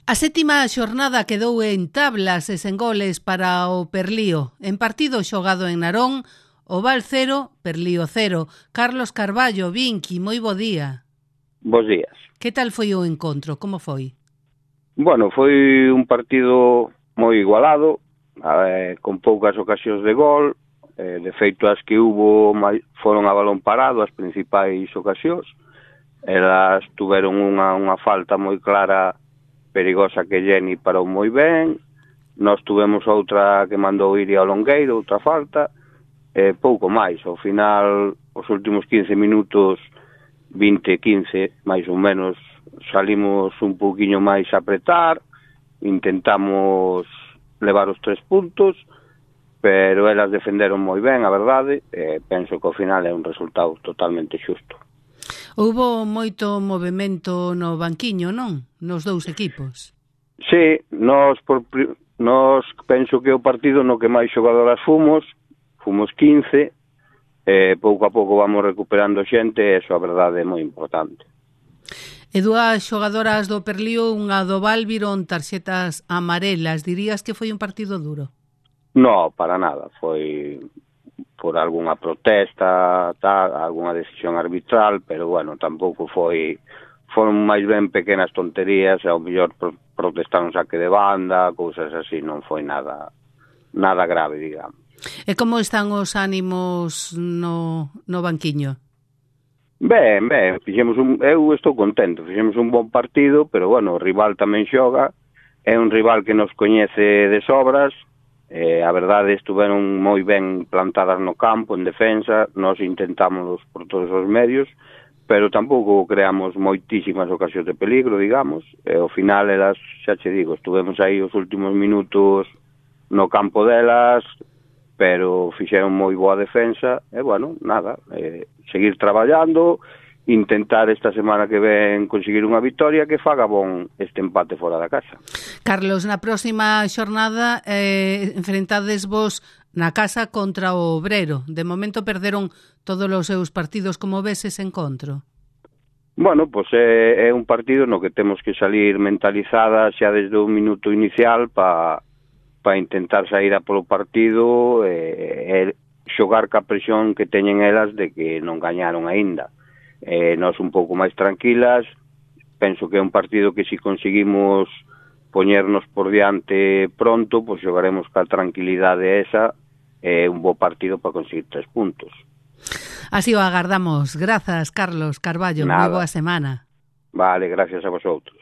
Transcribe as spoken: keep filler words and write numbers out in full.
A sétima xornada quedou en tablas e sen goles para o Perlío. En partido xogado en Narón, o Val cero, Perlío cero. Carlos Carballo, Vinqui, moi bo día. Bos días. Que tal foi o encontro? Como foi? Bueno, foi un partido moi igualado, eh, con poucas ocasións de gol. Eh, de feito, as que hubo foron a balón parado, as principais ocasións. Elas tuveron unha, unha falta moi clara, perigosa, que Jenny parou moi ben. Nós tuvemos outra que mandou ir ao longueiro, outra falta. Eh, pouco máis. Ao final, os últimos quince minutos, vinte, quince, máis ou menos, salimos un pouquiño máis a apretar, intentamos levar os tres puntos, pero elas defenderon moi ben, a verdade, e penso que ao final é un resultado totalmente xusto. Houbo moito movimento no banquiño, non? Nos dous equipos. Sí, nós, por, nós penso que o partido no que máis xogadoras fomos, fomos quince, e pouco a pouco vamos recuperando xente, e eso a verdade é moi importante. E dúas xogadoras do Perlío, unha do Val, viron tarxetas amarelas. Dirías que foi un partido duro? No, para nada. Foi por algunha protesta, tal, algunha decisión arbitral, pero bueno, tampouco foi... Foron máis ben pequenas tonterías, e ao mellor protestaron saque de banda, cousas así, non foi nada nada grave, digamos. E como están os ánimos no, no banquiño? Ben, ben, fixemos un, eu estou contento, fixemos un bon partido, pero bueno, o rival tamén xoga, é un rival que nos coñece de sobras, eh, a verdade estuveron moi ben plantadas no campo, en defensa, nós intentamos por todos os medios, pero tampouco creamos moitísimas ocasións de peligro, digamos, e ao final elas, xa che digo, estuvemos aí os últimos minutos no campo delas, pero fixeron moi boa defensa, e bueno, nada, eh, seguir traballando, intentar esta semana que ven conseguir unha victoria que faga bon este empate fora da casa. Carlos, na próxima xornada eh, enfrentades vos na casa contra o Obrero. De momento perderon todos os seus partidos. Como ves ese encontro? Bueno, pois é, é un partido no que temos que salir mentalizadas xa desde o minuto inicial para pa intentar sair a polo partido e, e xogar ca presión que teñen elas de que non gañaron aínda. Eh, nós un pouco máis tranquilas, penso que é un partido que si conseguimos poñernos por diante pronto, pois xogaremos ca tranquilidade esa, é eh, un bo partido para conseguir tres puntos. Así o agardamos. Grazas, Carlos Carballo. Moi boa semana. Vale, gracias a vosotros.